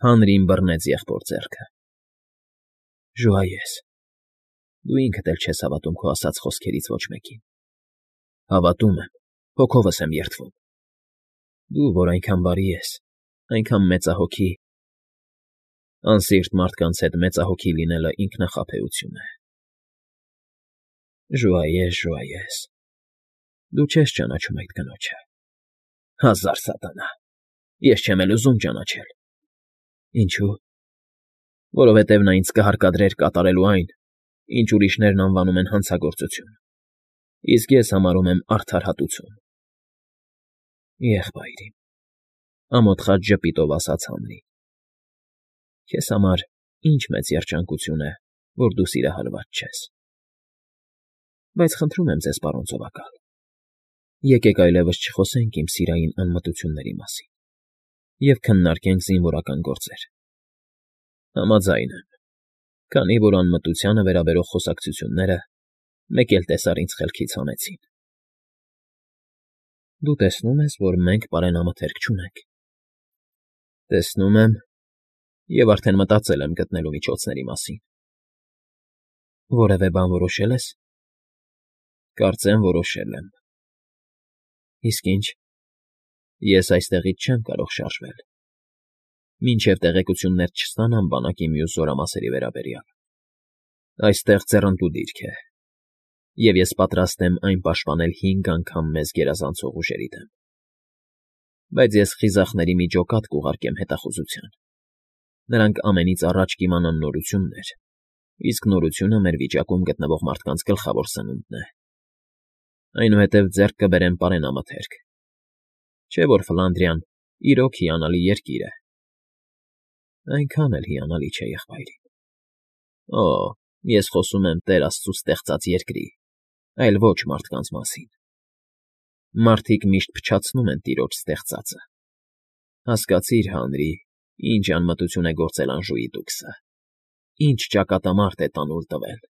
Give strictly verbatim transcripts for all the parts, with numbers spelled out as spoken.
Հանրին բռնեց եղբոր ձեռքը։ ֊ Ժուայես, դու ինքդ էլ չես հավատում քո ասած խոսքերից ոչ մեկին։ ֊ Հավատում եմ, հոգովս եմ երդվում։ Դու, որ այնքան բարի ես, այնքան մեծահոգի… Անսիրտ մարդկանց հետ մեծահոգի լինելը ինքնախաբեություն է։ ֊ Ժուայես, ժուայես… Դու չես ճանաչում այդ կնոջը… Հազար սատանա… Ես չեմ էլ ուզում ճանաչել։ ֊ Ինչո՞ւ։ ֊ Որովհետև նա ինձ կհարկադրեր կատարելու այն, ինչ ուրիշներն անվանում են հանցագործություն, իսկ ես համարում եմ արդարհատություն։ ֊ Եղբայր իմ,֊ ամոթխած ժպիտով ասաց Հանրին,֊ քեզ համար ինչ մեծ երջանկություն է, որ դու սիրահարված չես… Բայց խնդրում եմ ձեզ, պարոն ծովակալ, եկեք այլևս չխոսենք իմ սիրային անմտությունների մասին և քննարկենք զինվորական գործեր… Համաձայն եմ, քանի որ անմտությանը վերաբերող խոսակցությունները մեկ էլ տեսար ինձ խելքից հանեցին։ ֊ Դու տեսնում ես, որ մենք պարենամթերք չունենք։ ֊ Տեսնում եմ և արդեն մտածել եմ գտնելու միջոցների մասին։ ֊ Որևէ բան որոշե՞լ ես։ ֊ Կարծեմ որոշել եմ։ ֊ Իսկ ի՞նչ։ ֊ Ես այստեղից չեմ կարող շարժվել, մինչև տեղեկություններ չստանամ բանակի մյուս զորամասերի վերաբերյալ։ Այստեղ ձեռնտու դիրք է, և ես պատրաստ եմ այն պաշտպանել հինգ անգամ մեզ գերազանցող ուժերի դեմ։ Բայց ես խիզախների մի ջոկատ կուղարկեմ հետախուզության. նրանք ամենից առաջ կիմանան նորություններ, իսկ նորությունը մեր վիճակում գտնվող մարդկանց գլխավոր սնունդն է։ Այնուհետև ձեռք կբերեմ պարենամթերք, չէ՞ որ Ֆլանդրիան իրոք հիանալի երկիր է։ ֊ Այնքան էլ հիանալի չէ, եղբայր իմ։ ֊ Օ՜, ես խոսում եմ Տեր Աստծու ստեղծած երկրի, այլ ոչ մարդկանց մասին։ Մարդիկ միշտ փչացնում են Տիրոջ ստեղծածը… Հասկացիր, Հանրի, ինչ անմտություն է գործել Անժուի տուքսը, ինչ ճակատամարտ է տանուլ տվել,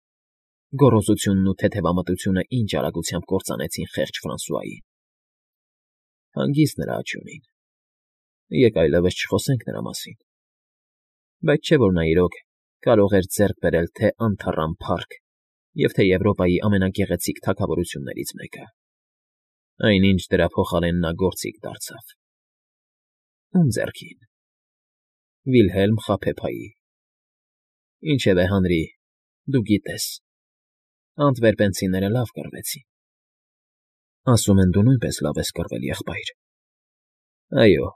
գոռոզությունն ու թեթևամտությունը ինչ արագությամբ կործանեցին խեղճ Ֆրանսուային… Հանգիստ նրա աճյունին… Եկ այլևս չխոսենք նրա մասին… Բայց չէ՞ որ նա իրոք կարող էր ձեռք բերել թե՛ անթառամ փառք և թե՛ Եվրոպայի ամենագեղեցիկ թագավորություններից մեկը, այնինչ դրա փոխարեն նա գործիք դարձավ… Ո՞ւմ ձեռքին։ ֊ Վիլհելմ խաբեբայի… Ինչևէ, Հանրի, դու գիտես, անտվերպենցիները լավ կռվեցին… ֊ Ասում են, դու նույնպես լավ ես կռվել, եղբայր։ ֊ Այո,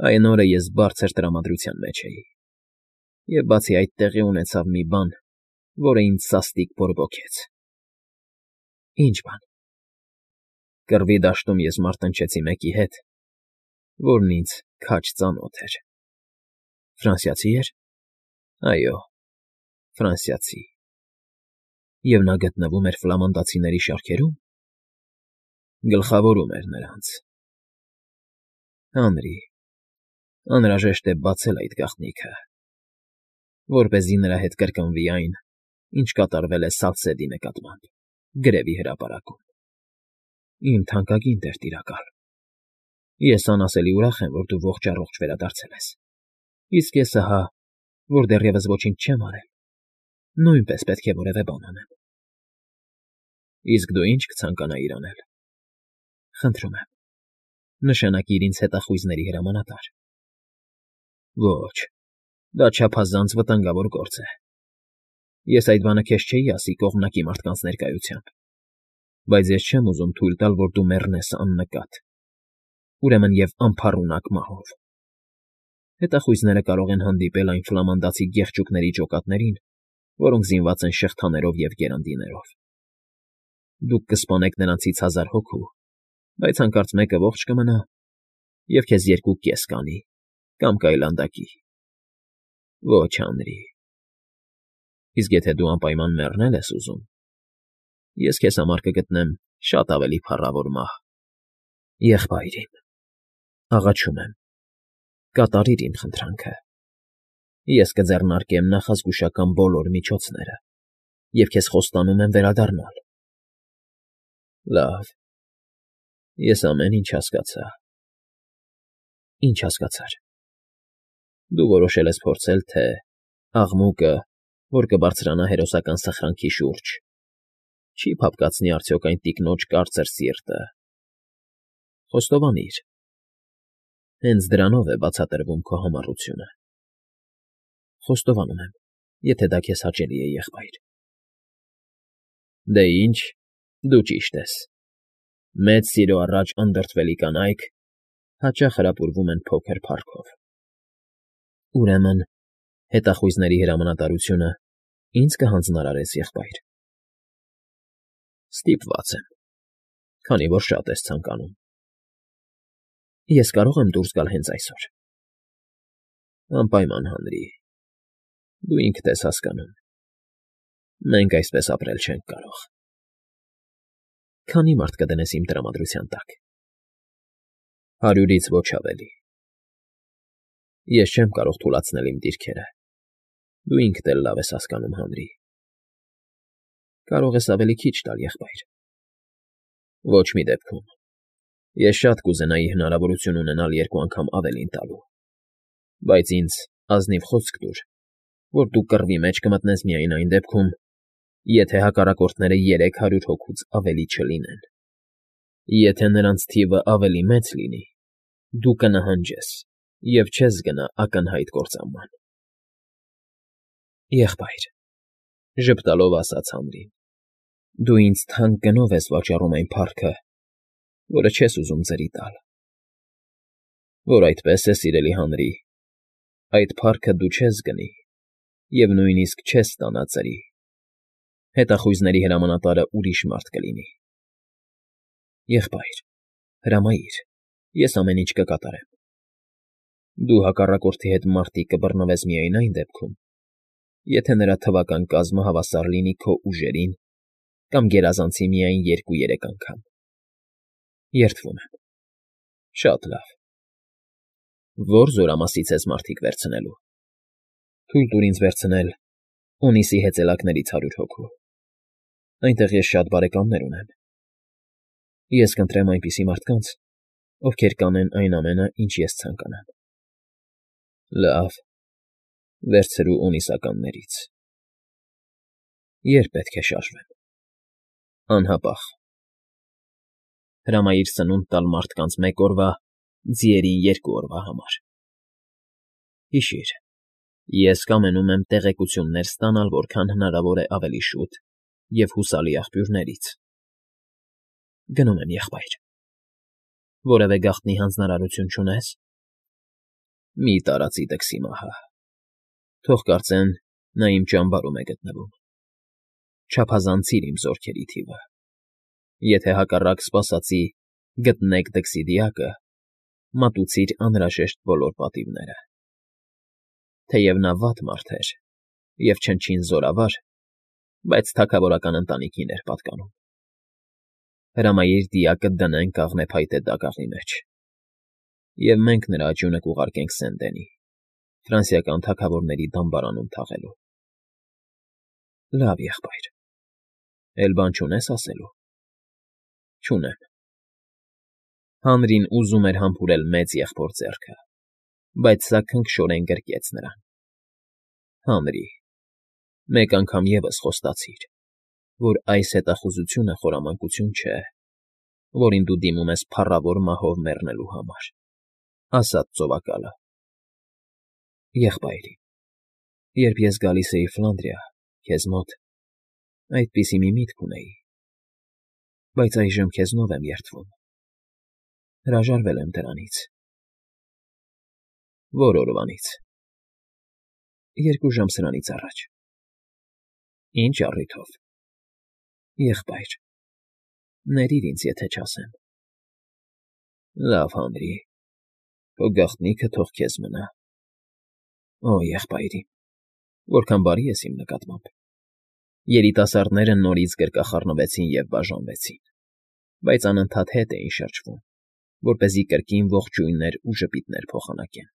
այն օրը ես բարձր տրամադրության մեջ էի, և բացի այդ տեղի ունեցավ մի բան, որը ինձ սաստիկ բորբոքեց։ ֊ Ի՞նչ բան։ ֊ Կռվի դաշտում ես մարտնչեցի մեկի հետ, որն ինձ քաջ ծանոթ էր։ ֊ Ֆրանսիացի՞ էր։ ֊ Այո, ֆրանսիացի։ ֊ Եվ նա գտնվում էր ֆլամանդացիների շարքերո՞ւմ։ ֊ Գլխավորում էր նրանց։ ֊ Հանրի, անհրաժեշտ է բացել այդ գաղտնիքը, որպեսզի նրա հետ կրկնվի այն, ինչ կատարվել է Սալսեդի նկատմամբ գրեվի հրապարակում։ ֊ Իմ թանկագին տեր֊տիրակալ, ես անասելի ուրախ եմ, որ դու ողջ֊առողջ վերադարձել ես, իսկ ես ահա, որ դեռևս ոչինչ չեմ արել, նույնպես պետք է որևէ բան անեմ։ ֊ Իսկ դու ի՞նչ կցանկանայիր անել։ ֊ Խնդրում եմ, նշանակիր ինձ հետախույզների հրամանատար։ ֊ Ոչ, դա չափազանց վտանգավոր գործ է։ Ես այդ բանը քեզ չէի ասի կողմնակի մարդկանց ներկայությամբ, բայց ես չեմ ուզում թույլ տալ, որ դու մեռնես աննկատ, ուրեմն և անփառունակ մահով։ Հետախույզները կարող են հանդիպել այն ֆլամանդացի գեղչուկների ջոկատներին, որոնք զինված են շղթաներով և գերանդիներով։ Դուք կսպանեք նրանցից հազար հոգու, բայց հանկարծ մեկը ողջ կմնա, և քեզ երկու կես կանի կամ կայլանդակի։ Ոչ, Հանրի… Իսկ եթե դու անպայման մեռնել ես ուզում, ես քեզ համար կգտնեմ շատ ավելի փառավոր մահ։ ֊ Եղբայր իմ, աղաչում եմ, կատարիր իմ խնդրանքը… Ես կձեռնարկեմ նախազգուշական բոլոր միջոցները և քեզ խոստանում եմ վերադառնալ։ ֊ Լավ, ես ամեն ինչ հասկացա։ ֊ Ինչ հասկացար։ ֊ Դու որոշել ես փորձել, թե աղմուկը, որ կբարձրանա հերոսական սխրանքի շուրջ, չի՞ փափկացնի արդյոք այն տիկնոջ կարծր սիրտը… Խոստովանիր… Հենց դրանով է բացատրվում քո համառությունը… Խոստովանում եմ, եթե դա քեզ հաճելի է, եղբայր… Դե ինչ, դու ճիշտ ես… Մեծ սիրո առաջ անդրդվելի կանայք հաճախ հրապուրվում են փոքր փառքով… Ուրեմն հետախույզների հրամանատարությունը ի՞նձ կհանձնարարես, եղբայր… Ստիպված եմ, քանի որ շատ ես ցանկանում… Ես կարո՞ղ եմ դուրս գալ հենց այսօր… Անպայման, Հանրի… Դու ինքդ ես հասկանում… Մենք այսպես ապրել չենք կարող… Քանի՞ մարդ կդնես իմ տրամադրության տակ… Հարյուրից ոչ ավելի… Ես չեմ կարող թուլացնել իմ դիրքերը… Դու ինքդ էլ լավ ես հասկանում, Հանրի… Կարող ես ավելի քիչ տալ, եղբայր… Ոչ մի դեպքում… Ես շատ կուզենայի հնարավորություն ունենալ երկու անգամ ավելին տալու… Բայց ինձ ազնիվ խոսք տուր, որ դու կռվի մեջ կմտնես միայն այն դեպքում, եթե հակառակորդները երեք հարյուր հոգուց ավելի չլինեն… Եթե նրանց թիվը ավելի մեծ լինի, դու կնահանջես և չես գնա ակնհայտ կործանման… ֊ Եղբայր,֊ ժպտալով ասաց Հանրին,֊ դու ինձ թանկ գնով ես վաճառում այն փառքը, որը չես ուզում ձրի տալ… Որ այդպես է, սիրելի Հանրի, այդ փառքը դու չես գնի և նույնիսկ չես ստանա ծրի… Հետախույզների հրամանատարը ուրիշ մարդ կլինի… Եղբայր, հրամայիր, ես ամեն ինչ կկատարեմ… Դու հակառակորդի հետ մարտիկ կբռնվես միայն այն դեպքում, եթե նրա թվական կազմը հավասար լինի քո ուժերին կամ գերազանցի միայն երկու֊երեք անգամ… Երդվում եմ… Շատ լավ… Ո՞ր զորամասից ես մարդիկ վերցնելու… Թույլ տուր ինձ վերցնել Օնիսի հեծելակներից հարյուր հոգու… Այնտեղ ես շատ բարեկամներ ունեմ… Ես կընտրեմ այնպիսի մարդկանց, ովքեր կանեն այն ամենը, ինչ ես ցանկանամ… Լավ… Վերցրու Օնիսականներից… Ե՞րբ պետք է շարժվեմ… Անհապաղ… Հրամայիր սնունդ տալ մարդկանց մեկ օրվա, ձիերին երկու օրվա համար… Հիշիր, ես կամենում եմ տեղեկություններ ստանալ որքան հնարավոր է ավելի շուտ և հուսալի աղբյուրներից… Գնում եմ, եղբայր… Որևէ գաղտնի հանձնարարություն չունե՞ս… Մի տարածի դքսի մահը… Թող կարծեն, նա իմ ճամբարում է գտնվում… Չափազանցիր իմ զորքերի թիվը… Եթե հակառակ սպասածի գտնեք դքսի դիակը, մատուցիր անհրաժեշտ բոլոր պատիվները… Թեև նա վատ մարդ էր և չնչին զորավար, բայց թագավորական ընտանիքին էր պատկանում… Հրամայիր դիակը դնեն կաղնե փայտե դագաղի մեջ… Եվ մենք նրա աճյունը կուղարկենք Սեն֊Դենի, ֆրանսիական թագավորների դամբարանում թաղելու… Լավ, եղբայր… Էլ բան չունե՞ս ասելու… Չունեմ… Հանրին ուզում էր համբուրել մեծ եղբոր ձեռքը, բայց սա քնքշորեն գրկեց նրան… Հանրի… Մեկ անգամ ևս խոստացիր, որ այս հետախուզությունը խորամանկություն չէ, որին դու դիմում ես փառավոր մահով մեռնելու համար… Ասաց ծովակալը… Եղբայրի… Երբ ես գալիս էի Ֆլանդրիա, քեզ մոտ, այդպիսի մի միտք ունեի… Բայց այժմ քեզնով եմ երդվում… Հրաժարվել եմ դրանից… Ո՞ր օրվանից… Երկու ժամ սրանից առաջ… Ի՞նչ առիթով… Եղբայր… Ներիր ինձ, եթե չասեմ… Լավ, Հանրի… Քո գաղտնիքը թող քեզ մնա… Օ, եղբայրի… Որքան բարի ես իմ նկատմամբ… Երիտասարդները նորից գրկախառնվեցին և բաժանվեցին, բայց անընդհատ հետ էին շրջվում, որպեսզի կրկին ողջույններ ու ժպիտներ փոխանակեն…